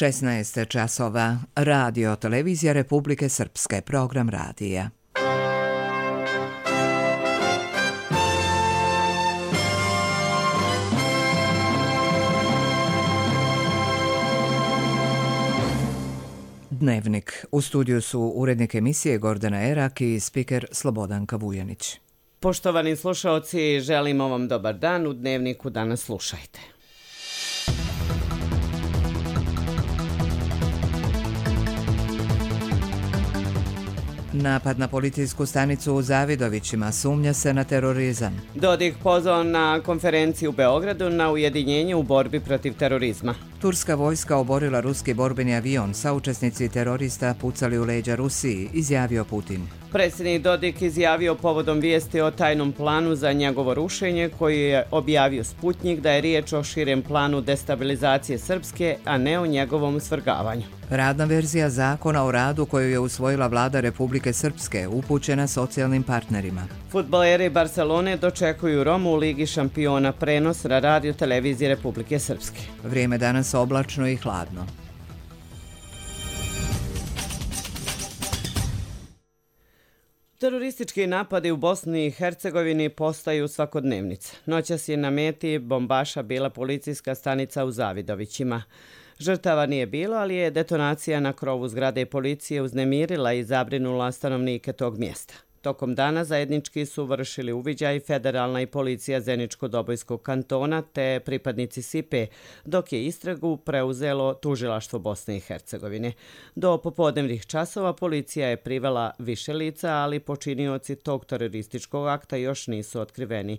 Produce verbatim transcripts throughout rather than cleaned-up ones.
šesnaest časova. Radio Televizija Republike Srpske. Program radija. Dnevnik. U studiju su urednik emisije Gordana Erak i spiker Slobodanka Vujanić. Poštovani slušaoci, želimo vam dobar dan. U Dnevniku danas slušajte. Napad na policijsku stanicu u Zavidovićima, sumnja se na terorizam. Dodik pozvao na konferenciju u Beogradu na ujedinjenje u borbi protiv terorizma. Turska vojska oborila ruski borbeni avion, saučesnici terorista pucali u leđa Rusiji, izjavio Putin. Predsjednik Dodik izjavio povodom vijesti o tajnom planu za njegovo rušenje koji je objavio Sputnjik da je riječ o širem planu destabilizacije Srpske, a ne o njegovom svrgavanju. Radna verzija zakona o radu koju je usvojila vlada Republike Srpske upućena socijalnim partnerima. Fudbaleri Barcelone dočekuju Romu u Ligi šampiona, prenos na radio televiziji Republike Srpske. Vrijeme danas oblačno i hladno. Teroristički napadi u Bosni i Hercegovini postaju svakodnevnica. Noćas je na meti bombaša bila policijska stanica u Zavidovićima. Žrtava nije bilo, ali je detonacija na krovu zgrade policije uznemirila i zabrinula stanovnike tog mjesta. Tokom dana zajednički su vršili uviđaj federalna i policija Zeničko-Dobojskog kantona te pripadnici S I P E, dok je istragu preuzelo tužilaštvo Bosne i Hercegovine. Do popodnevnih časova policija je privela više lica, ali počinioci tog terorističkog akta još nisu otkriveni.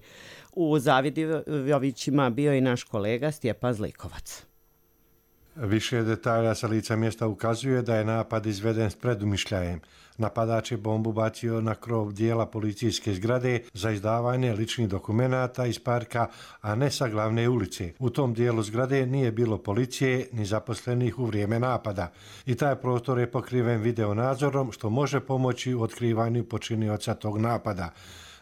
U Zavidovićima bio i naš kolega Stjepan Zlikovac. Više detalja sa lica mjesta ukazuje da je napad izveden s predumišljajem. Napadač je bombu bacio na krov dijela policijske zgrade za izdavanje ličnih dokumenata iz parka, a ne sa glavne ulice. U tom dijelu zgrade nije bilo policije ni zaposlenih u vrijeme napada i taj prostor je pokriven videonadzorom što može pomoći u otkrivanju počinioca tog napada.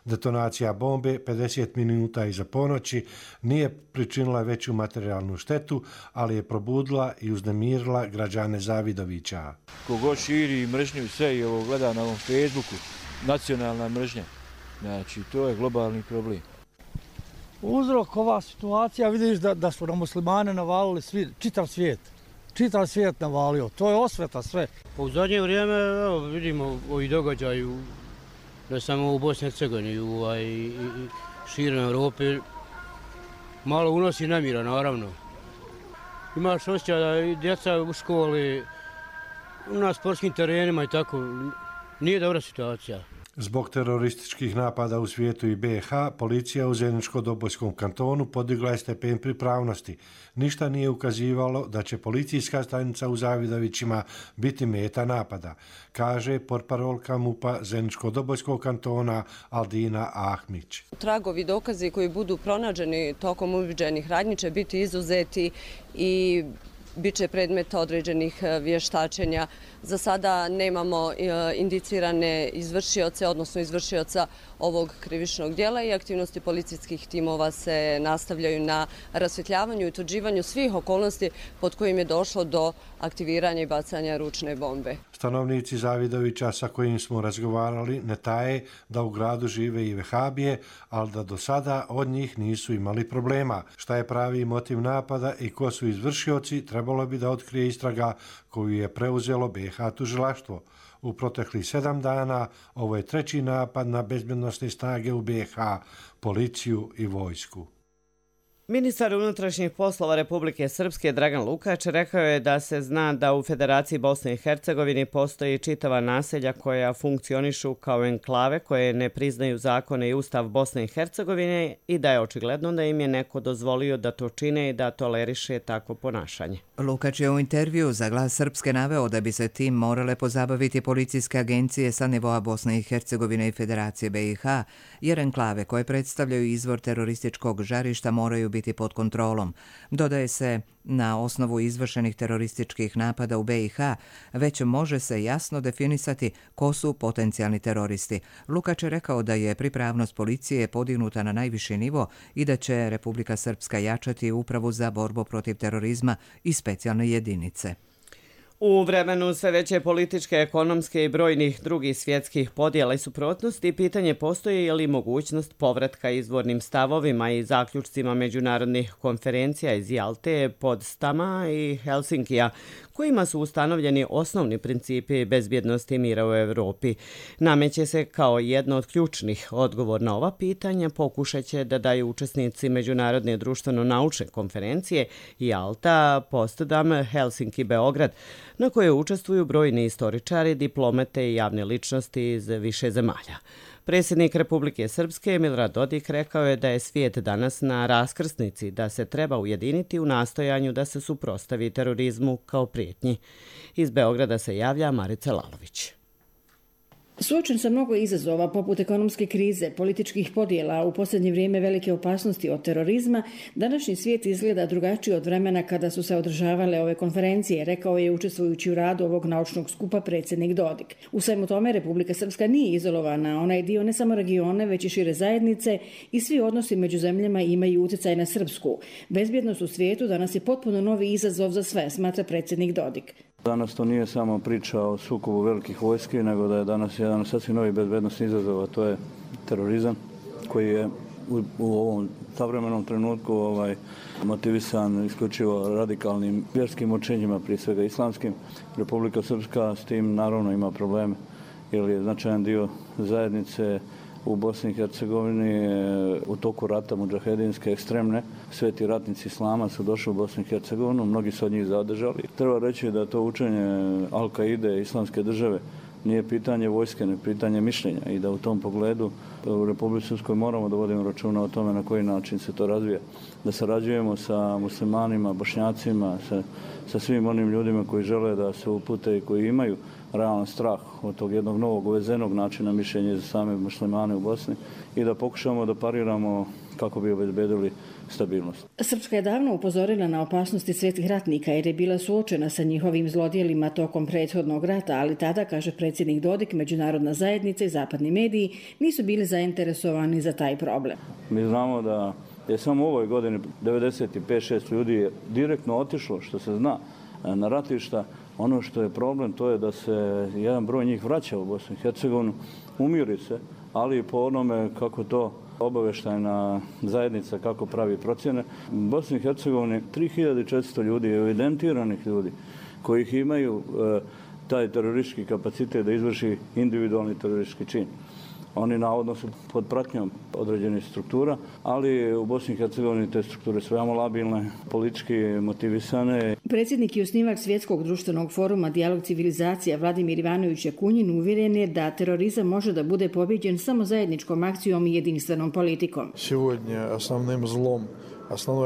Detonacija bombe pedeset minuta iza ponoći nije pričinila veću materijalnu štetu, ali je probudila i uznemirila građane Zavidovića. Kogo širi mržnju sve i ovo gleda na ovom Facebooku, nacionalna mržnja, znači to je globalni problem. Uzrok ova situacija, vidiš da, da su na muslimane navalili svi, čitav svijet. Čitav svijet navalio, to je osveta sve. U zadnje vrijeme evo, vidimo ovi događaju, ne samo u Bosni i Hercegovini, u širom Europi, malo unosi nemira, naravno. Imaš osjećaj da i djeca u školi, na sportskim terenima i tako, nije dobra situacija. Zbog terorističkih napada u svijetu i B i H, policija u Zeničko-Dobojskom kantonu podigla je stepen pripravnosti. Ništa nije ukazivalo da će policijska stanica u Zavidovićima biti meta napada, kaže portparolka MUP-a Zeničko-Dobojskog kantona Aldina Ahmić. Tragovi dokazi koji budu pronađeni tokom uviđajnih radnji će biti izuzeti i bit će predmet određenih vještačenja. Za sada nemamo indicirane izvršioce, odnosno izvršioca ovog krivičnog djela i aktivnosti policijskih timova se nastavljaju na rasvjetljavanju i utvrđivanju svih okolnosti pod kojim je došlo do aktiviranja i bacanja ručne bombe. Stanovnici Zavidovića sa kojim smo razgovarali ne taje da u gradu žive i vehabije, ali da do sada od njih nisu imali problema. Šta je pravi motiv napada i ko su izvršioci, trebalo bi da otkrije istraga koju je preuzelo B i H tužilaštvo. U proteklih sedam dana ovo je treći napad na bezbednosne snage u B i H, policiju i vojsku. Ministar unutrašnjih poslova Republike Srpske Dragan Lukač rekao je da se zna da u Federaciji Bosne i Hercegovine postoji čitava naselja koja funkcionišu kao enklave koje ne priznaju zakone i ustav Bosne i Hercegovine i da je očigledno da im je neko dozvolio da to čine i da toleriše takvo ponašanje. Lukač je u intervju za Glas Srpske naveo da bi se tim morale pozabaviti policijske agencije sa nivoa Bosne i Hercegovine i Federacije B i H, jer enklave koje predstavljaju izvor terorističkog žarišta moraju biti pod kontrolom. Dodaje se, na osnovu izvršenih terorističkih napada u B i H, već može se jasno definisati ko su potencijalni teroristi. Lukač je rekao da je pripravnost policije podignuta na najviši nivo i da će Republika Srpska jačati upravu za borbu protiv terorizma i specijalne jedinice. U vremenu sve veće političke, ekonomske i brojnih drugih svjetskih podjela i suprotnosti, pitanje postoji je li mogućnost povratka izvornim stavovima i zaključcima međunarodnih konferencija iz Jalte, Podstama i Helsinkija, kojima su ustanovljeni osnovni principi bezbjednosti i mira u Europi. Nameće se kao jedno od ključnih. Odgovor na ova pitanja pokušat će da daju učesnici Međunarodne društveno-naučne konferencije Jalta, Potsdam, Helsinki, Beograd, na koje učestvuju brojni istoričari, diplomate i javne ličnosti iz više zemalja. Predsjednik Republike Srpske Milorad Dodik rekao je da je svijet danas na raskrsnici, da se treba ujediniti u nastojanju da se suprotstavi terorizmu kao prijetnji. Iz Beograda se javlja Marica Lalović. Suočen sa mnogo izazova poput ekonomske krize, političkih podjela, u posljednje vrijeme velike opasnosti od terorizma, današnji svijet izgleda drugačiji od vremena kada su se održavale ove konferencije, rekao je učestvujući u radu ovog naučnog skupa predsjednik Dodik. U svemu tome Republika Srpska nije izolovana, ona je dio ne samo regione, već i šire zajednice i svi odnosi među zemljama imaju utjecaj na Srpsku. Bezbjednost u svijetu danas je potpuno novi izazov za sve, smatra predsjednik Dodik. Danas to nije samo priča o sukobu velikih vojski, nego da je danas jedan sasvim novi bezbednosni izazov, a to je terorizam koji je u, u ovom savremenom trenutku ovaj, motivisan isključivo radikalnim vjerskim učenjima, prije svega islamskim. Republika Srpska s tim naravno ima probleme, jer je značajan dio zajednice u Bosni i Hercegovini u toku rata mudžahedinske ekstremne. Sveti ratnici islama su došli u Bosnu i Hercegovinu, mnogi su od njih zadržali. Treba reći da to učenje Al-Kaide, islamske države, nije pitanje vojske, ne pitanje mišljenja i da u tom pogledu u Republici Srpskoj moramo da vodimo računa o tome na koji način se to razvija. Da sarađujemo sa muslimanima, bošnjacima, sa, sa svim onim ljudima koji žele da se upute i koji imaju realan strah od tog jednog novog uvezenog načina mišljenja za same muslimane u Bosni i da pokušamo da pariramo kako bi obezbedili stabilnost. Srpska je davno upozorila na opasnosti svetih ratnika jer je bila suočena sa njihovim zlodjelima tokom prethodnog rata, ali tada, kaže predsjednik Dodik, međunarodna zajednica i zapadni mediji nisu bili zainteresovani za taj problem. Mi znamo da je samo u ovoj godini devedeset pet šest ljudi je direktno otišlo, što se zna, na ratišta. Ono što je problem, to je da se jedan broj njih vraća u Bosnu i Hercegovinu, umiri se, ali i po onome kako to obavještajna zajednica kako pravi procjene. U Bosni i Hercegovini tri hiljade četiristo ljudi, evidentiranih ljudi, kojih imaju e, taj teroristički kapacitet da izvrši individualni teroristički čin. Oni navodno su pod pratnjom određenih struktura, ali u Bosni i Hercegovini te strukture su veoma labilne, politički motivisane. Predsjednik i osnivač Svjetskog društvenog foruma Dijalog civilizacija Vladimir Ivanović Jakunjin uvjeren je da terorizam može da bude pobjeđen samo zajedničkom akcijom i jedinstvenom politikom. Сегодня основным zlom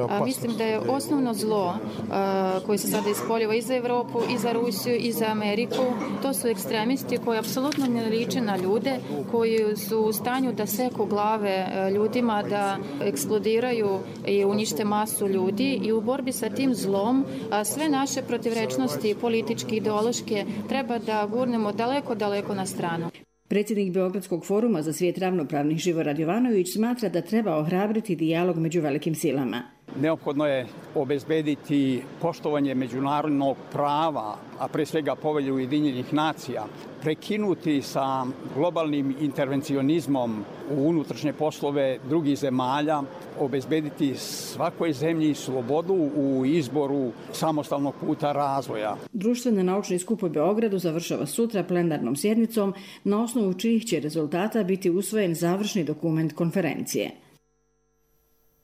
A, mislim da je osnovno zlo a, koje se sada ispoljava i za Evropu, i za Rusiju, i za Ameriku, to su ekstremisti koji apsolutno ne liče na ljude, koji su u stanju da seku glave ljudima, da eksplodiraju i unište masu ljudi i u borbi sa tim zlom a, sve naše protivrečnosti, političke, ideološke, treba da gurnemo daleko, daleko na stranu. Predsjednik Beogradskog foruma za svijet ravnopravnih Živorad Jovanović smatra da treba ohrabriti dijalog među velikim silama. Neophodno je obezbediti poštovanje međunarodnog prava, a pre svega Povelje Ujedinjenih nacija, prekinuti sa globalnim intervencionizmom u unutrašnje poslove drugih zemalja, obezbediti svakoj zemlji slobodu u izboru samostalnog puta razvoja. Društvena naučni skup u Beogradu završava sutra plenarnom sjednicom, na osnovu čijih će rezultata biti usvojen završni dokument konferencije.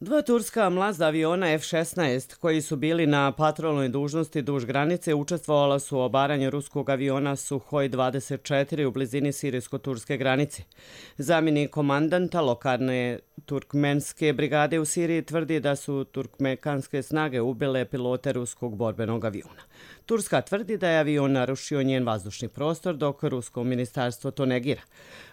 Dva turska mlazda aviona F šesnaest koji su bili na patrolnoj dužnosti duž granice učestvovala su u obaranju ruskog aviona Suhoj dvadeset četiri u blizini sirijsko-turske granice. Zamjenik komandanta lokalne turkmenske brigade u Siriji tvrdi da su turkmenske snage ubile pilote ruskog borbenog aviona. Turska tvrdi da je avion narušio njen vazdušni prostor, dok rusko ministarstvo to negira.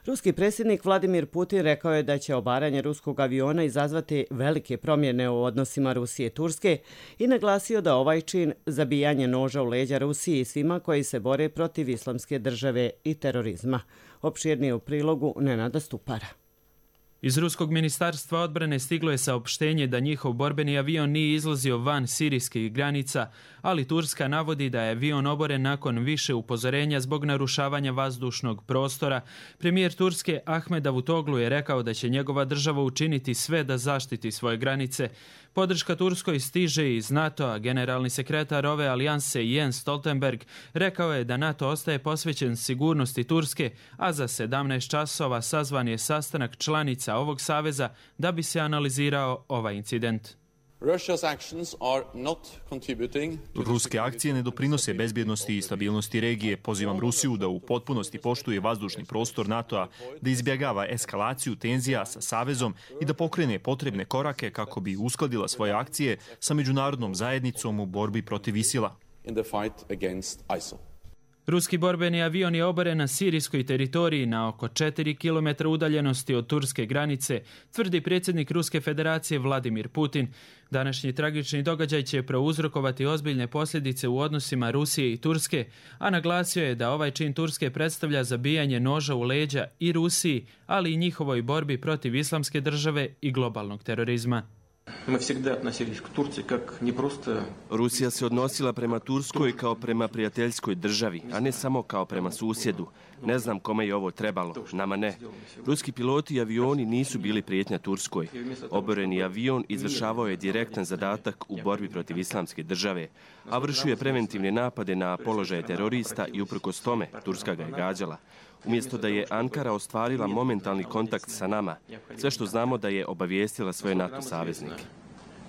Ruski predsjednik Vladimir Putin rekao je da će obaranje ruskog aviona izazvati velike promjene u odnosima Rusije i Turske i naglasio da ovaj čin zabijanje noža u leđa Rusiji i svima koji se bore protiv islamske države i terorizma. Opširnije u prilogu Nenada Stupara. Iz Ruskog ministarstva odbrane stiglo je saopštenje da njihov borbeni avion nije izlazio van sirijskih granica, ali Turska navodi da je avion oboren nakon više upozorenja zbog narušavanja vazdušnog prostora. Premijer Turske Ahmed Davutoglu je rekao da će njegova država učiniti sve da zaštiti svoje granice. Podrška Turskoj stiže iz NATO-a. Generalni sekretar ove alijanse Jens Stoltenberg rekao je da NATO ostaje posvećen sigurnosti Turske, a za sedamnaest časova sazvan je sastanak članica ovog saveza da bi se analizirao ovaj incident. Ruske akcije ne doprinose bezbjednosti i stabilnosti regije. Pozivam Rusiju da u potpunosti poštuje vazdušni prostor NATO-a, da izbjegava eskalaciju tenzija sa savezom i da pokrene potrebne korake kako bi uskladila svoje akcije sa međunarodnom zajednicom u borbi protiv ISIL-a. Ruski borbeni avion je oboren na sirijskoj teritoriji na oko četiri kilometra udaljenosti od turske granice, tvrdi predsjednik Ruske federacije Vladimir Putin. Današnji tragični događaj će prouzrokovati ozbiljne posljedice u odnosima Rusije i Turske, a naglasio je da ovaj čin Turske predstavlja zabijanje noža u leđa i Rusiji, ali i njihovoj borbi protiv islamske države i globalnog terorizma. Rusija se odnosila prema Turskoj kao prema prijateljskoj državi, a ne samo kao prema susjedu. Ne znam kome je ovo trebalo, nama ne. Ruski piloti i avioni nisu bili prijetnja Turskoj. Oboreni avion izvršavao je direktan zadatak u borbi protiv islamske države, a vršio je preventivne napade na položaje terorista i uprkos tome Turska ga je gađala. Umjesto da je Ankara ostvarila momentalni kontakt sa nama, sve što znamo da je obavijestila svoje NATO saveznike.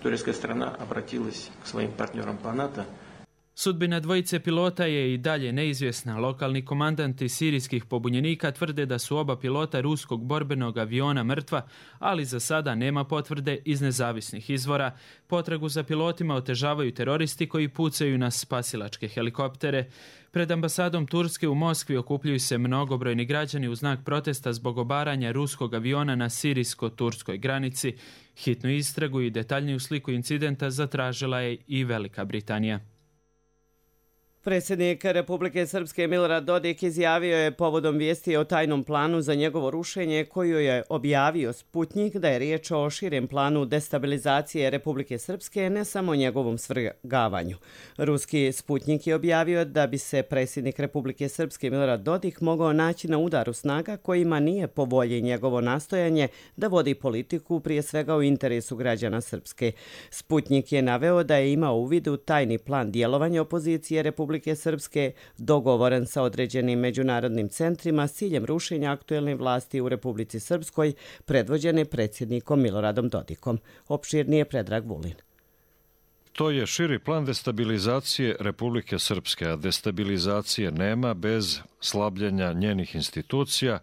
Turska strana obratилась k svojim partnerom po NATO. Sudbina dvojice pilota je i dalje neizvjesna. Lokalni komandanti sirijskih pobunjenika tvrde da su oba pilota ruskog borbenog aviona mrtva, ali za sada nema potvrde iz nezavisnih izvora. Potragu za pilotima otežavaju teroristi koji pucaju na spasilačke helikoptere. Pred ambasadom Turske u Moskvi okupljuju se mnogobrojni građani u znak protesta zbog obaranja ruskog aviona na sirijsko-turskoj granici. Hitnu istragu i detaljniju sliku incidenta zatražila je i Velika Britanija. Predsjednik Republike Srpske Milorad Dodik izjavio je povodom vijesti o tajnom planu za njegovo rušenje koju je objavio Sputnik da je riječ o širem planu destabilizacije Republike Srpske, ne samo njegovom svrgavanju. Ruski Sputnik je objavio da bi se predsjednik Republike Srpske Milorad Dodik mogao naći na udaru snaga kojima nije po volji njegovo nastojanje da vodi politiku prije svega u interesu građana Srpske. Sputnik je naveo da je imao u vidu tajni plan djelovanja opozicije Republike Republike Srpske dogovoren sa određenim međunarodnim centrima s ciljem rušenja aktuelne vlasti u Republici Srpskoj, predvođene predsjednikom Miloradom Dodikom. Opširnije Predrag Vulin. To je širi plan destabilizacije Republike Srpske, a destabilizacije nema bez slabljenja njenih institucija,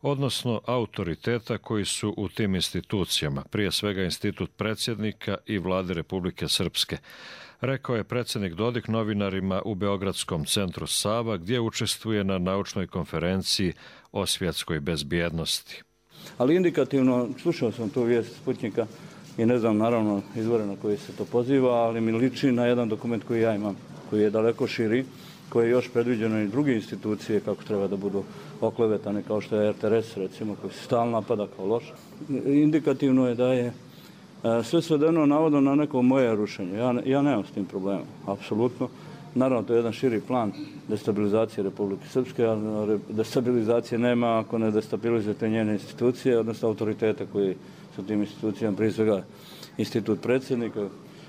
odnosno autoriteta koji su u tim institucijama, prije svega institut predsjednika i vlade Republike Srpske. Rekao je predsjednik Dodik novinarima u Beogradskom centru Sava, gdje učestvuje na naučnoj konferenciji o svjetskoj bezbjednosti. Ali indikativno, slušao sam tu vijest Sputnika i ne znam naravno izvore na koji se to poziva, ali mi liči na jedan dokument koji ja imam, koji je daleko širi, koji je još predviđeno i druge institucije kako treba da budu oklevetane, kao što je R T R S, recimo, koji se stalno napada kao loš. Indikativno je da je sve svedeno navodno na neko moje rušenje. Ja, ja nemam s tim problema, apsolutno. Naravno, to je jedan širi plan destabilizacije Republike Srpske, a destabilizacije nema ako ne destabilizujete njene institucije, odnosno autoritete koji su tim institucijama, prije svega institut predsjednika,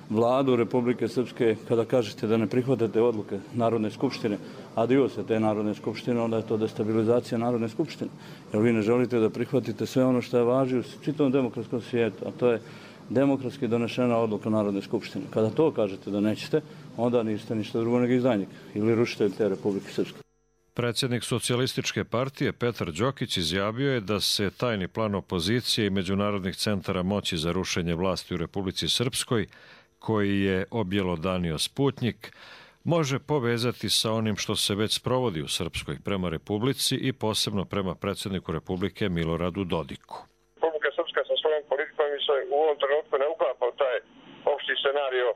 vladu Republike Srpske. Kada kažete da ne prihvatate odluke Narodne skupštine, a dio se te Narodne skupštine, onda je to destabilizacija Narodne skupštine. Jer vi ne želite da prihvatite sve ono što je važi u čitavom demokratskom svijetu, a to je demokratski donešena odluka Narodne skupštine. Kada to kažete da nećete, onda niste ništa drugo nego izdajnik ili rušitelj te Republike Srpske. Predsjednik socijalističke partije Petar Đokić izjavio je da se tajni plan opozicije i međunarodnih centara moći za rušenje vlasti u Republici Srpskoj, koji je objelodanio Sputnik, može povezati sa onim što se već sprovodi u Srpskoj prema Republici i posebno prema predsjedniku Republike Miloradu Dodiku. Republika Srpska sa svojom politikom se u ovom trenutku ne uklapa u taj opšti scenario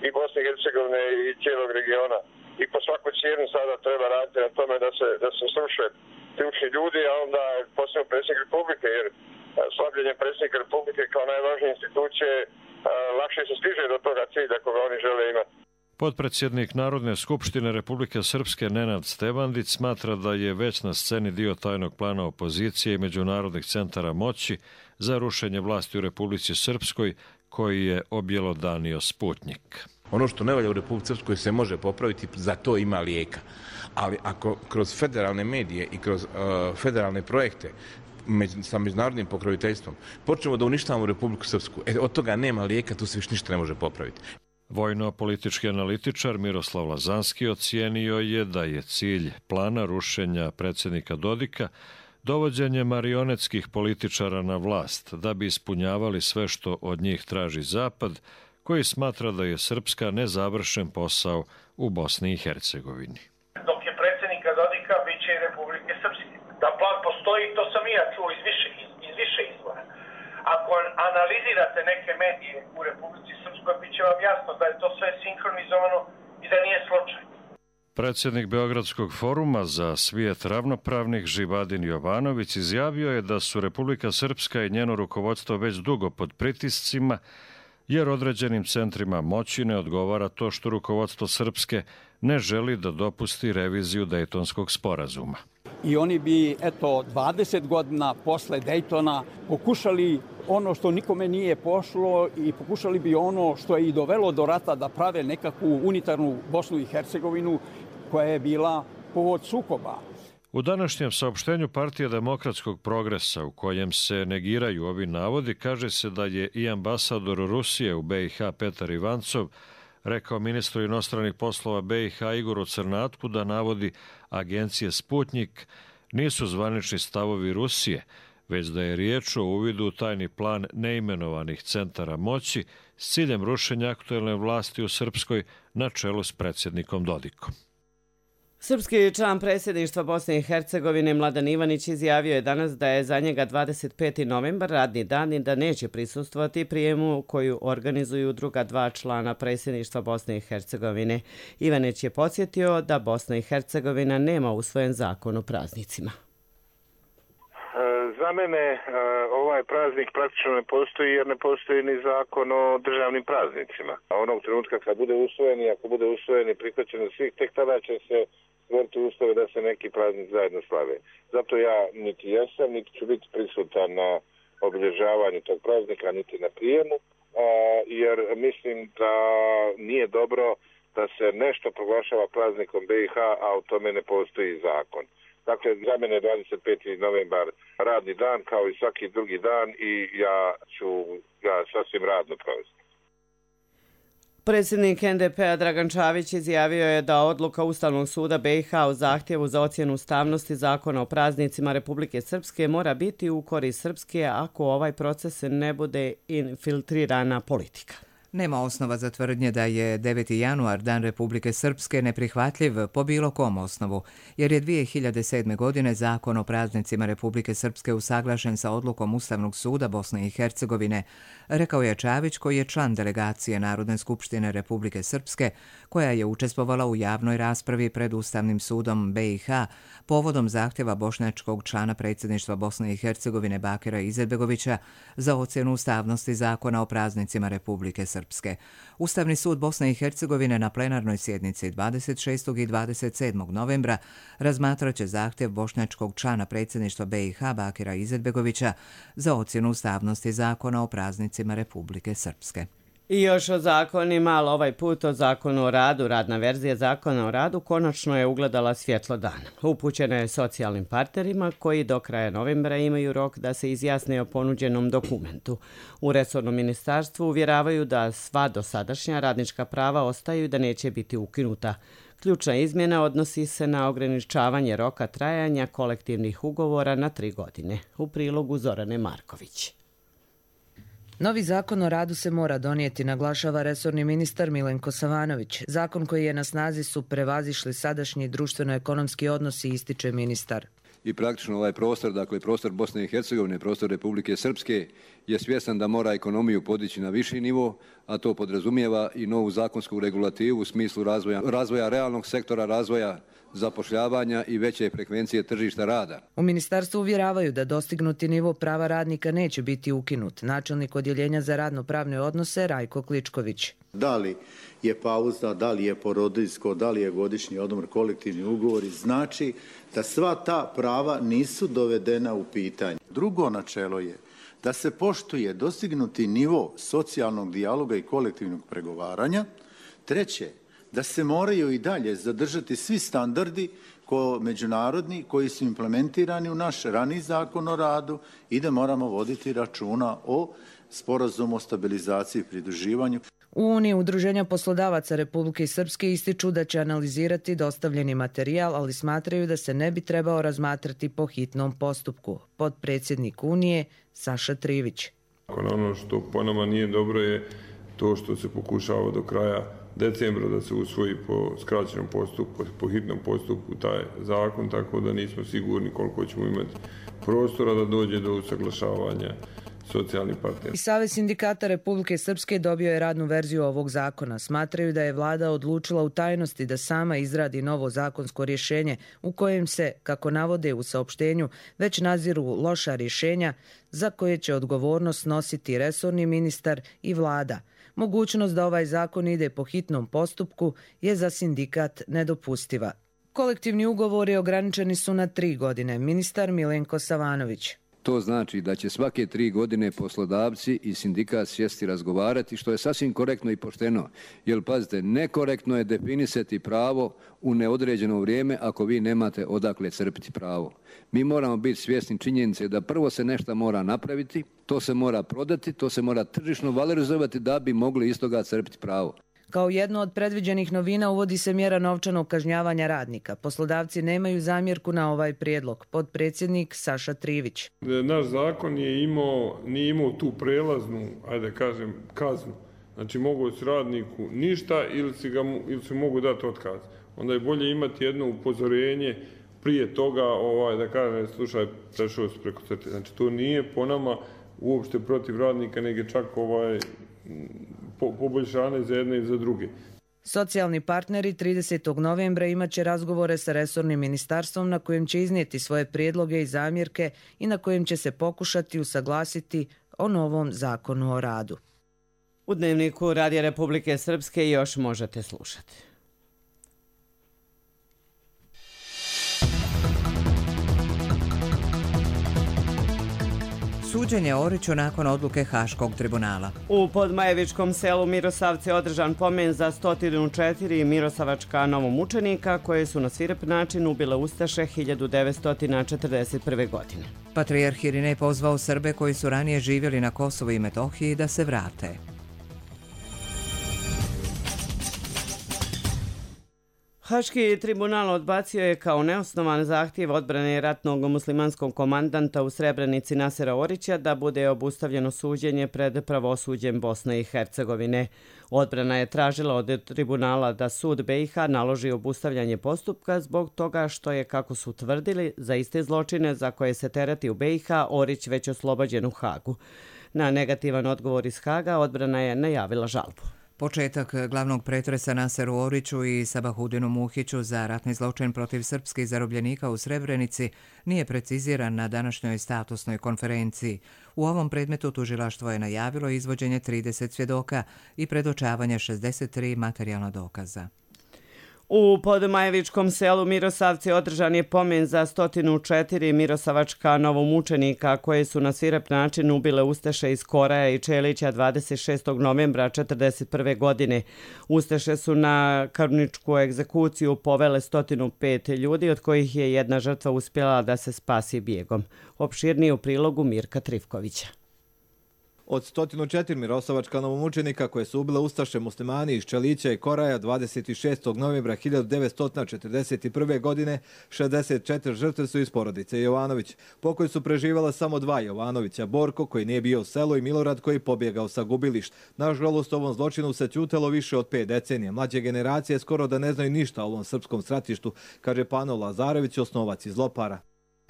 i Bosne i Hercegovine i cijelog regiona. I po svaku cijenu sada treba raditi na tome da se, da se sruše ključni ljudi, a onda posebno predsjednik Republike, jer slabljenjem predsjednika Republike kao najvažnije institucije lakše se stiže do toga cilja koga oni žele imati. Potpredsjednik Narodne skupštine Republike Srpske Nenad Stevandić smatra da je već na sceni dio tajnog plana opozicije i međunarodnih centara moći za rušenje vlasti u Republici Srpskoj koji je objelodanio Sputnjik. Ono što ne valja u Republici Srpskoj se može popraviti, za to ima lijeka. Ali ako kroz federalne medije i kroz uh, federalne projekte među, sa međunarodnim pokroviteljstvom počnemo da uništavamo Republiku Srpsku, e, od toga nema lijeka, tu se više ništa ne može popraviti. Vojno-politički analitičar Miroslav Lazanski ocijenio je da je cilj plana rušenja predsjednika Dodika dovođenje marionetskih političara na vlast da bi ispunjavali sve što od njih traži Zapad, koji smatra da je Srpska nezavršen posao u Bosni i Hercegovini. Dok je predsjednika Dodika, bit će i Republike Srpske. Da plan postoji, to sam i ja čuo iz više, iz više izvora. Ako analizirate neke medije u Republici Srpskoj, bit će vam jasno da je to sve sinkronizovano i da nije slučaj. Predsjednik Beogradskog foruma za svijet ravnopravnih Živadin Jovanović izjavio je da su Republika Srpska i njeno rukovodstvo već dugo pod pritiscima, jer određenim centrima moći ne odgovara to što rukovodstvo Srpske ne želi da dopusti reviziju Dejtonskog sporazuma. I oni bi, eto, dvadeset godina posle Dejtona pokušali ono što nikome nije pošlo i pokušali bi ono što je i dovelo do rata da prave nekakvu unitarnu Bosnu i Hercegovinu koja je bila povod sukoba. U današnjem saopštenju Partije demokratskog progresa u kojem se negiraju ovi navodi kaže se da je i ambasador Rusije u B i H Petar Ivancov rekao ministru inostranih poslova B i H Igoru Crnatku da navodi agencije Sputnjik nisu zvanični stavovi Rusije, već da je riječ o uvidu u tajni plan neimenovanih centara moći s ciljem rušenja aktuelne vlasti u Srpskoj na čelu s predsjednikom Dodikom. Srpski član predsjedništva Bosne i Hercegovine Mladen Ivanić izjavio je danas da je za njega dvadeset peti novembar radni dan i da neće prisustvovati prijemu koju organizuju druga dva člana predsjedništva Bosne i Hercegovine. Ivanić je podsjetio da Bosna i Hercegovina nema usvojen zakon o praznicima. Za mene ovaj praznik praktično ne postoji jer ne postoji ni zakon o državnim praznicima. A onog trenutka kad bude usvojen i ako bude usvojen i prihvaćen od svih, tek tada će se stvoriti uslove da se neki praznik zajedno slave. Zato ja niti jesam, niti ću biti prisutan na obilježavanju tog praznika, niti na prijemu, jer mislim da nije dobro da se nešto proglašava praznikom B i H, a u tome ne postoji zakon. Dakle, za mene je dvadeset peti novembar radni dan kao i svaki drugi dan i ja ću ga sasvim radno provesti. Predsjednik N D P-a Dragan Čavić izjavio je da odluka Ustavnog suda B i H u zahtjevu za ocjenu ustavnosti zakona o praznicima Republike Srpske mora biti u korist Srpske ako ovaj proces ne bude infiltrirana politika. Nema osnova za tvrdnje da je deveti januar, Dan Republike Srpske, neprihvatljiv po bilo kom osnovu, jer je dvije hiljade sedme. godine zakon o praznicima Republike Srpske usaglašen sa odlukom Ustavnog suda Bosne i Hercegovine, rekao je Čavić koji je član delegacije Narodne skupštine Republike Srpske, koja je učestvovala u javnoj raspravi pred Ustavnim sudom B i H povodom zahtjeva bošnjačkog člana predsjedništva Bosne i Hercegovine Bakira Izetbegovića za ocjenu ustavnosti zakona o praznicima Republike Srpske. Srpske. Ustavni sud Bosne i Hercegovine na plenarnoj sjednici dvadeset šestog i dvadeset sedmog novembra razmatraće zahtjev bošnjačkog člana predsjedništva B i H Bakira Izetbegovića za ocjenu ustavnosti zakona o praznicima Republike Srpske. I još o zakonima, ali ovaj put o zakonu o radu. Radna verzija zakona o radu konačno je ugledala svjetlo dana. Upućena je socijalnim partnerima koji do kraja novembra imaju rok da se izjasne o ponuđenom dokumentu. U resornom ministarstvu uvjeravaju da sva dosadašnja radnička prava ostaju i da neće biti ukinuta. Ključna izmjena odnosi se na ograničavanje roka trajanja kolektivnih ugovora na tri godine. U prilogu Zorane Marković. Novi zakon o radu se mora donijeti, naglašava resorni ministar Milenko Savanović. Zakon koji je na snazi su prevazišli sadašnji društveno-ekonomski odnosi, ističe ministar. I praktično ovaj prostor, dakle prostor Bosne i Hercegovine, prostor Republike Srpske je svjestan da mora ekonomiju podići na viši nivo, a to podrazumijeva i novu zakonsku regulativu u smislu razvoja, razvoja realnog sektora, razvoja zapošljavanja i veće frekvencije tržišta rada. U ministarstvu uvjeravaju da dostignuti nivo prava radnika neće biti ukinut. Načelnik odjeljenja za radno-pravne odnose Rajko Kličković. Da li je pauza, da li je porodiljsko, da li je godišnji odmor, kolektivni ugovori, znači da sva ta prava nisu dovedena u pitanje. Drugo načelo je da se poštuje dostignuti nivo socijalnog dijaloga i kolektivnog pregovaranja. Treće, da se moraju i dalje zadržati svi standardi ko međunarodni koji su implementirani u naš rani zakon o radu i da moramo voditi računa o sporazumu o stabilizaciji i pridruživanju. U Uniji Udruženja poslodavaca Republike Srpske ističu da će analizirati dostavljeni materijal, ali smatraju da se ne bi trebao razmatrati po hitnom postupku. Potpredsjednik Unije Saša Trivić. Ono što po nama nije dobro je to što se pokušava do kraja decembra da se usvoji po skraćenom postupku, po hitnom postupku taj zakon, tako da nismo sigurni koliko ćemo imati prostora da dođe do usaglašavanja socijalnih partnera. I Savez sindikata Republike Srpske dobio je radnu verziju ovog zakona. Smatraju da je vlada odlučila u tajnosti da sama izradi novo zakonsko rješenje u kojem se, kako navode u saopštenju, već naziru loša rješenja za koje će odgovornost nositi resorni ministar i vlada. Mogućnost da ovaj zakon ide po hitnom postupku je za sindikat nedopustiva. Kolektivni ugovori ograničeni su na tri godine. Ministar Milenko Savanović. To znači da će svake tri godine poslodavci i sindikat sjesti razgovarati, što je sasvim korektno i pošteno. Jer, pazite, nekorektno je definisati pravo u neodređeno vrijeme ako vi nemate odakle crpiti pravo. Mi moramo biti svjesni činjenice da prvo se nešto mora napraviti, to se mora prodati, to se mora tržišno valorizovati da bi mogli iz toga crpiti pravo. Kao jedno od predviđenih novina uvodi se mjera novčanog kažnjavanja radnika. Poslodavci nemaju zamjerku na ovaj prijedlog. Potpredsjednik Saša Trivić. Naš zakon je imao, nije imao tu prelaznu, ajde kažem, kaznu. Znači mogu s radniku ništa ili si, ga, ili si mogu dati otkaz. Onda je bolje imati jedno upozorenje prije toga, ovaj, da kažem, slušaj, prešao si preko crte. Znači to nije po nama uopšte protiv radnika, nego čak ovaj... poboljšane za jedne i za druge. Socijalni partneri tridesetog novembra imaće razgovore sa resornim ministarstvom na kojem će iznijeti svoje prijedloge i zamjerke i na kojem će se pokušati usaglasiti o novom zakonu o radu. U Dnevniku Radija Republike Srpske još možete slušati. Suđenje Oriću nakon odluke Haškog tribunala. U Podmajevičkom selu Mirosavce održan pomen za sto četiri mirosavačka novomučenika koje su na svirep način ubile ustaše hiljadu devetsto četrdeset prve. godine. Patrijarh Irinej pozvao Srbe koji su ranije živjeli na Kosovu i Metohiji da se vrate. Haški tribunal odbacio je kao neosnovan zahtjev odbrane ratnog muslimanskog komandanta u Srebrenici Nasera Orića da bude obustavljeno suđenje pred pravosuđem Bosne i Hercegovine. Odbrana je tražila od tribunala da sud B i H naloži obustavljanje postupka zbog toga što je, kako su tvrdili, za iste zločine za koje se tereti u B i H Orić već oslobođen u Hagu. Na negativan odgovor iz Haga odbrana je najavila žalbu. Početak glavnog pretresa Naseru Oriću i Sabahudinu Muhiću za ratni zločin protiv srpskih zarobljenika u Srebrenici nije preciziran na današnjoj statusnoj konferenciji. U ovom predmetu tužilaštvo je najavilo izvođenje trideset svjedoka i predočavanje šezdeset tri materijalna dokaza. U Podmajevičkom selu Mirosavci održan je pomen za sto četiri mirosavačka novomučenika koje su na svirep način ubile ustaše iz Koraja i Čelića dvadeset šestog novembra četrdeset prve. godine. Ustaše su na krvničku egzekuciju povele sto pet ljudi, od kojih je jedna žrtva uspjela da se spasi bijegom. Opširnije u prilogu Mirka Trivkovića. Od sto četiri mirosavačka novomučenika koje su ubile ustaše muslimani iz Čelića i Koraja dvadeset šestog novembra hiljadu devetsto četrdeset prve. godine, šezdeset četiri žrtve su iz porodice Jovanović, po kojoj su preživjela samo dva Jovanovića, Borko koji nije bio u selu i Milorad koji pobjegao sa gubilišta. Nažalost, ovom zločinu se ćutelo više od pet decenija. Mlađe generacije skoro da ne znaju ništa o ovom srpskom stratištu, kaže Pano Lazarević, osnovac iz Lopara.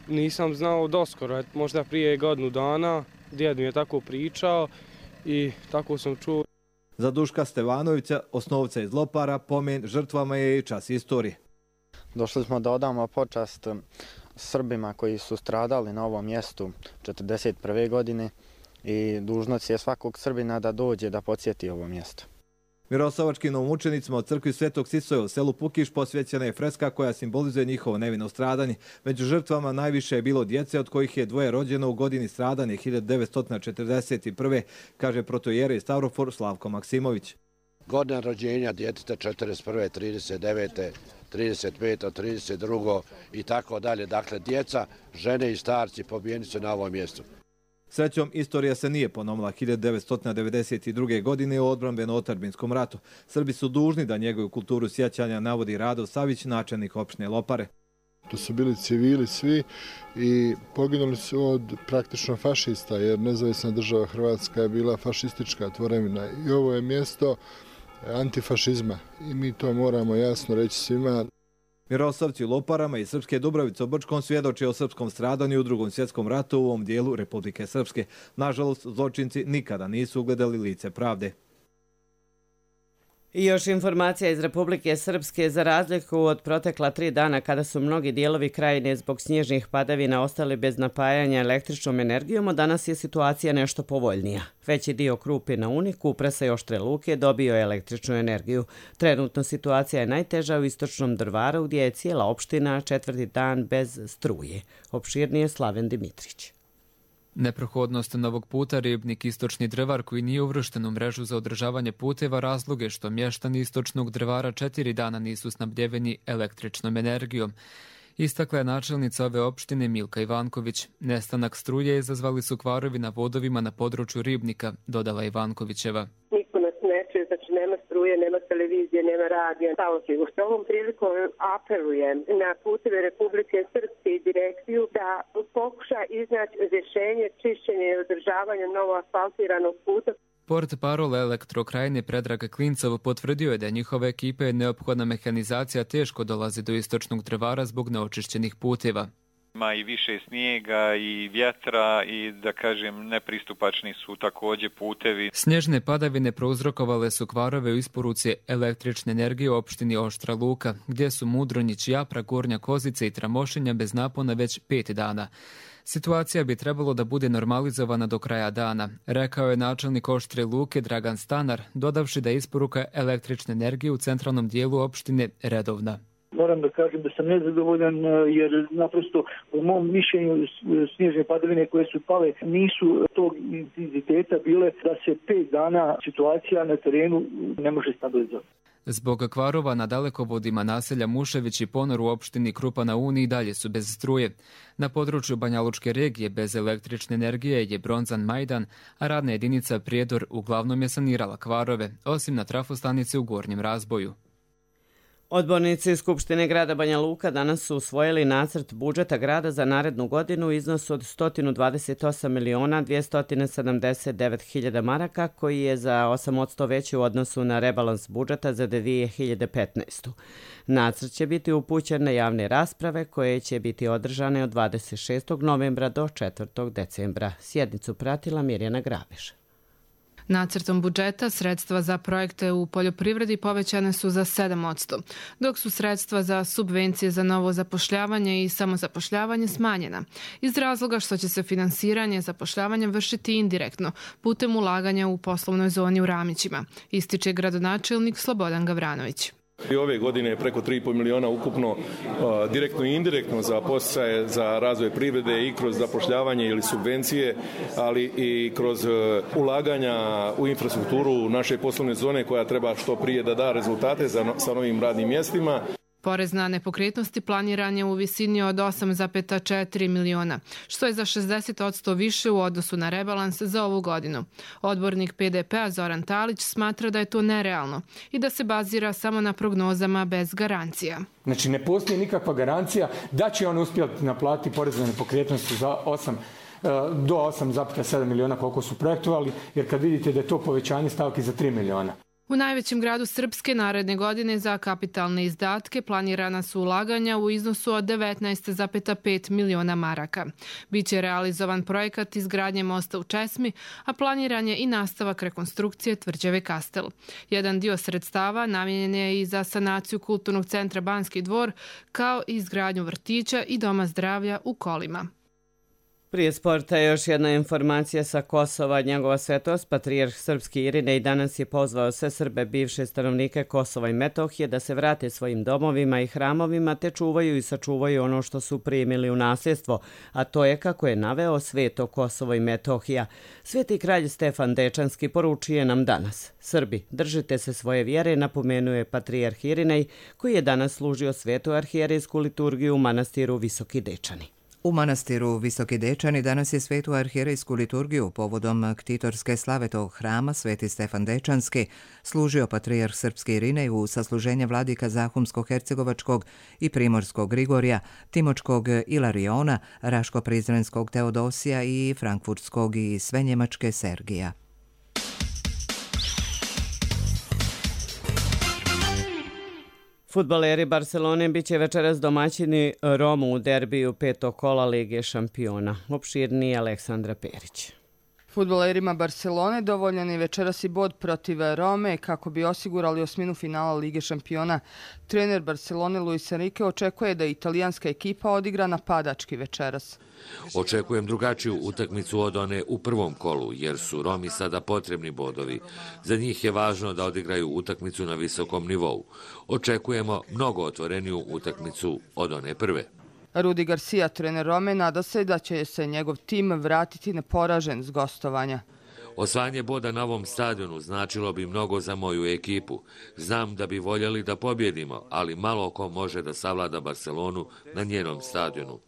Nisam znao doskoro, možda prije godinu dana, djed mi je tako pričao i tako sam čuo. Za Duška Stevanovića, osnovca iz Lopara, pomen žrtvama je i čas istorije. Došli smo da odamo počast Srbima koji su stradali na ovom mjestu četrdeset prve godine i dužnost je svakog Srbina da dođe da podsjeti ovo mjesto. Miroslavačkim novomučenicima od crkvi Svetog Sisoja u selu Pukiš posvećena je freska koja simbolizuje njihovo nevino stradanje. Među žrtvama najviše je bilo djece od kojih je dvoje rođeno u godini stradanja hiljadu devetsto četrdeset prve, kaže protoijerej Stavrofor Slavko Maksimović. Godina rođenja djeteta četrdeset prve, trideset devete, trideset pete, trideset druge i tako dalje. Dakle, djeca, žene i starci pobijeni su na ovom mjestu. Srećom, istorija se nije ponovila hiljadu devetsto devedeset druge. godine u odbrambeno-otadžbinskom ratu. Srbi su dužni da njegovu kulturu sjećanja, navodi Rado Savić, načelnik opštine Lopare. To su bili civili svi i poginuli su od praktično fašista, jer nezavisna država Hrvatska je bila fašistička tvorevina. I ovo je mjesto antifašizma i mi to moramo jasno reći svima. Miroslavci u Loparama i Srpske Dubravice u Brčkom svjedoče o srpskom stradanju u drugom svjetskom ratu u ovom dijelu Republike Srpske. Nažalost, zločinci nikada nisu ugledali lice pravde. I još informacija iz Republike Srpske. Za razliku od protekla tri dana kada su mnogi dijelovi krajine zbog snježnih padavina ostali bez napajanja električnom energijom, danas je situacija nešto povoljnija. Veći dio Krupe na Uni, Kupresa i Oštre Luke dobio je električnu energiju. Trenutno situacija je najteža u istočnom Drvaru gdje je cijela opština četvrti dan bez struje. Opširnije Slaven Dimitrić. Neprohodnost novog puta Ribnik Istočni Drvar koji nije uvršten u mrežu za održavanje puteva razloge što mještani Istočnog Drvara četiri dana nisu snabdjeveni električnom energijom. Istakla je načelnica ove opštine Milka Ivanković. Nestanak struje izazvali su kvarovi na vodovima na području Ribnika, dodala Ivankovićeva. Niko nas ne čuje, znači nema struje, nema televizije, nema radija. Što ovom prilikom apelujem na puteve Republike Srpske i direkciju da pokuša iznaći rješenje čišćenja i održavanja novo asfaltiranog puta. Port parol Elektrokrajine Predrag Klincov potvrdio je da njihove ekipe neophodna mehanizacija teško dolazi do Istočnog Drvara zbog neočišćenih puteva. Ima i više snijega i vjetra i da kažem nepristupačni su također putevi. Snježne padavine prouzrokovale su kvarove u isporuci električne energije u opštini Oštra Luka, gdje su Mudronjić, Japra, Gornja Kozica i Tramošinja bez napona već pet dana. Situacija bi trebalo da bude normalizovana do kraja dana, rekao je načelnik Oštre Luke Dragan Stanar, dodavši da je isporuka električne energije u centralnom dijelu opštine redovna. Moram da kažem da sam nezadovoljan jer naprosto u mom mišljenju snježne padavine koje su pale nisu tog intenziteta bile da se pet dana situacija na terenu ne može stabilizovati. Zbog kvarova na dalekovodima naselja Mušević i Ponor u opštini Krupa na Uni i dalje su bez struje. Na području Banjalučke regije bez električne energije je Bronzan Majdan, a radna jedinica Prijedor uglavnom je sanirala kvarove, osim na trafostanici u Gornjem Razboju. Odbornici Skupštine grada Banja Luka danas su usvojili nacrt budžeta grada za narednu godinu u iznosu od sto dvadeset osam miliona dvjesto sedamdeset devet hiljada maraka, koji je za osam posto veći u odnosu na rebalans budžeta za dvije hiljade petnaestu. Nacrt će biti upućen na javne rasprave koje će biti održane od dvadeset šestog novembra do četvrtog decembra. Sjednicu pratila Mirjana Graveš. Nacrtom budžeta sredstva za projekte u poljoprivredi povećane su za sedam posto, dok su sredstva za subvencije za novo zapošljavanje i samozapošljavanje smanjena, iz razloga što će se finansiranje zapošljavanja vršiti indirektno putem ulaganja u poslovnoj zoni u Ramićima, ističe gradonačelnik Slobodan Gavranović. I ove godine je preko tri i pol miliona ukupno direktno i indirektno za podsticaje za razvoj privrede i kroz zapošljavanje ili subvencije, ali i kroz ulaganja u infrastrukturu naše poslovne zone koja treba što prije da da rezultate za, sa novim radnim mjestima. Porez na nepokretnosti planiran je u visini od osam zarez četiri miliona, što je za šezdeset posto više u odnosu na rebalans za ovu godinu. Odbornik P D P-a Zoran Talić smatra da je to nerealno i da se bazira samo na prognozama bez garancija. Znači ne postoji nikakva garancija da će on uspjeti naplatiti porez na nepokretnosti za osam do osam zarez sedam miliona koliko su projektovali, jer kad vidite da je to povećanje stavki za tri miliona. U najvećem gradu Srpske naredne godine za kapitalne izdatke planirana su ulaganja u iznosu od devetnaest zarez pet miliona maraka. Biće realizovan projekat izgradnje mosta u Česmi, a planiran je i nastavak rekonstrukcije tvrđave Kastel. Jedan dio sredstava namijenjen je i za sanaciju kulturnog centra Banski dvor, kao i izgradnju vrtića i doma zdravlja u Kolima. Prije sporta još jedna informacija sa Kosova. Njegova svetost, patrijarh srpski Irinej, danas je pozvao sve Srbe, bivše stanovnike Kosova i Metohije, da se vrate svojim domovima i hramovima te čuvaju i sačuvaju ono što su primili u nasljedstvo, a to je, kako je naveo, sveto Kosovo i Metohija. Sveti kralj Stefan Dečanski poručuje nam danas: Srbi, držite se svoje vjere, napomenuje patrijarh Irinej, koji je danas služio svetu arhijerejsku liturgiju u manastiru Visoki Dečani. U manastiru Visoki Dečani danas je svetu arhijerejsku liturgiju povodom ktitorske slave tog hrama Sveti Stefan Dečanski služio patrijarh srpski Irinej u sasluženje vladika Zahumsko-hercegovačkog i Primorskog Grigorija, Timočkog Ilariona, Raško-Prizrenskog Teodosija i Frankfurtskog i Svenjemačke Sergija. Fudbaleri Barcelone biće večeras domaćini Romu u derbiju petog kola Lige šampiona. Opširniji Aleksandra Perić. Fudbalerima Barcelone dovoljan je večeras i bod protiv Rome kako bi osigurali osminu finala Lige šampiona. Trener Barcelone Luis Enrique očekuje da italijanska ekipa odigra napadački večeras. Očekujem drugačiju utakmicu od one u prvom kolu, jer su Romi sada potrebni bodovi. Za njih je važno da odigraju utakmicu na visokom nivou. Očekujemo mnogo otvoreniju utakmicu od one prve. Rudi Garcia, trener Rome, nada se da će se njegov tim vratiti neporažen s gostovanja. Osvajanje boda na ovom stadionu značilo bi mnogo za moju ekipu. Znam da bi voljeli da pobjedimo, ali malo ko može da savlada Barcelonu na njenom stadionu.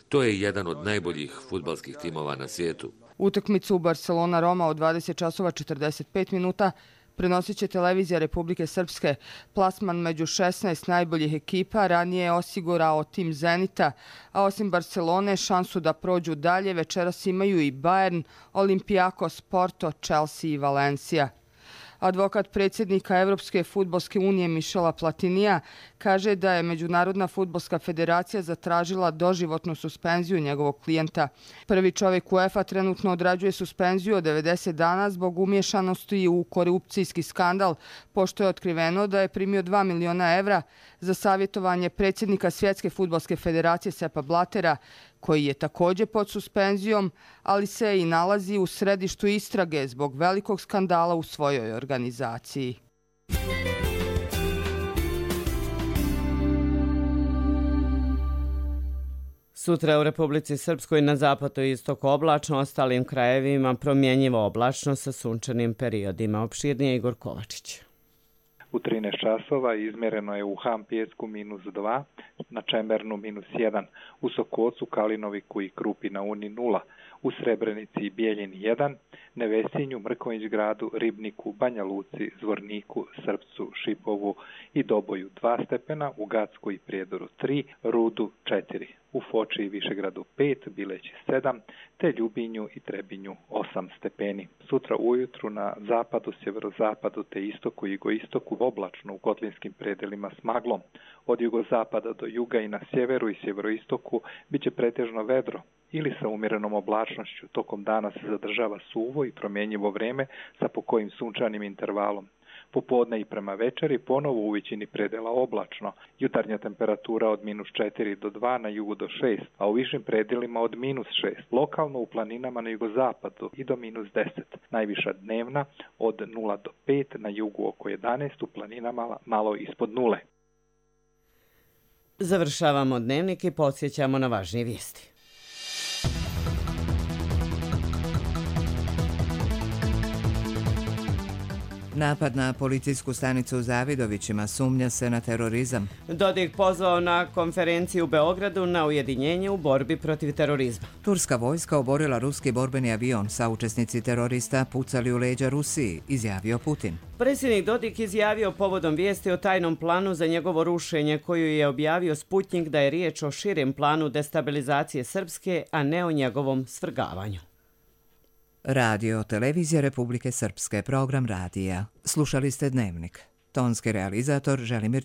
To je jedan od najboljih fudbalskih timova na svijetu. Utakmicu Barcelona-Roma od dvadeset časova četrdeset pet minuta prenosit će televizija Republike Srpske. Plasman među šesnaest najboljih ekipa ranije je osigurao tim Zenita, a osim Barcelone šansu da prođu dalje večeras imaju i Bayern, Olympiakos, Porto, Chelsea i Valencia. Advokat predsjednika Evropske fudbalske unije Mišela Platinija kaže da je Međunarodna fudbalska federacija zatražila doživotnu suspenziju njegovog klijenta. Prvi čovjek UEFA trenutno odrađuje suspenziju od devedeset dana zbog umješanosti u korupcijski skandal, pošto je otkriveno da je primio dva miliona evra za savjetovanje predsjednika Svjetske fudbalske federacije Sepa Blatera, koji je također pod suspenzijom, ali se i nalazi u središtu istrage zbog velikog skandala u svojoj organizaciji. Sutra u Republici Srpskoj na zapadu i istoku oblačno, ostalim krajevima promjenjivo oblačno sa sunčanim periodima. Opširnije Igor Kovačić. U trinaest časova izmjereno je u Hampjesku minus dva, na Čemernu minus jedan, u Sokocu, Kalinoviku i Krupi na Uni nula, u Srebrenici i Bijeljini jedan, Nevesinju, Mrkonjić gradu, Ribniku, Banja Luci, Zvorniku, Srpcu, Šipovu i Doboju dva stepena, u Gacku i Prijedoru tri, Rudu četiri, u Foči i Višegradu pet, Bileći sedam, te Ljubinju i Trebinju osam stepeni. Sutra ujutru na zapadu, sjeverozapadu te istoku i jugoistoku oblačno u kotlinskim predelima s maglom. Od jugozapada do juga i na sjeveru i sjeveroistoku biće pretežno vedro ili sa umjerenom oblačnošću. Tokom dana se zadržava suvo i promjenjivo vreme sa pokojim sunčanim intervalom. Popodne i prema večeri ponovo u većini predela oblačno. Jutarnja temperatura od minus četiri do dva, na jugu do šest, a u višim predelima od minus šest. Lokalno u planinama na jugozapadu i do minus deset. Najviša dnevna od nula do pet, na jugu oko jedanaest, u planinama malo ispod nule. Završavamo dnevnik i podsjećamo na važnije vijesti. Napad na policijsku stanicu u Zavidovićima, sumnja se na terorizam. Dodik pozvao na konferenciju u Beogradu na ujedinjenje u borbi protiv terorizma. Turska vojska oborila ruski borbeni avion, saučesnici terorista pucali u leđa Rusiji, izjavio Putin. Predsjednik Dodik izjavio povodom vijesti o tajnom planu za njegovo rušenje koju je objavio Sputnik da je riječ o širem planu destabilizacije Srpske, a ne o njegovom svrgavanju. Radio, televizija Republike Srpske, program radija. Slušali ste Dnevnik. Tonski realizator Želimir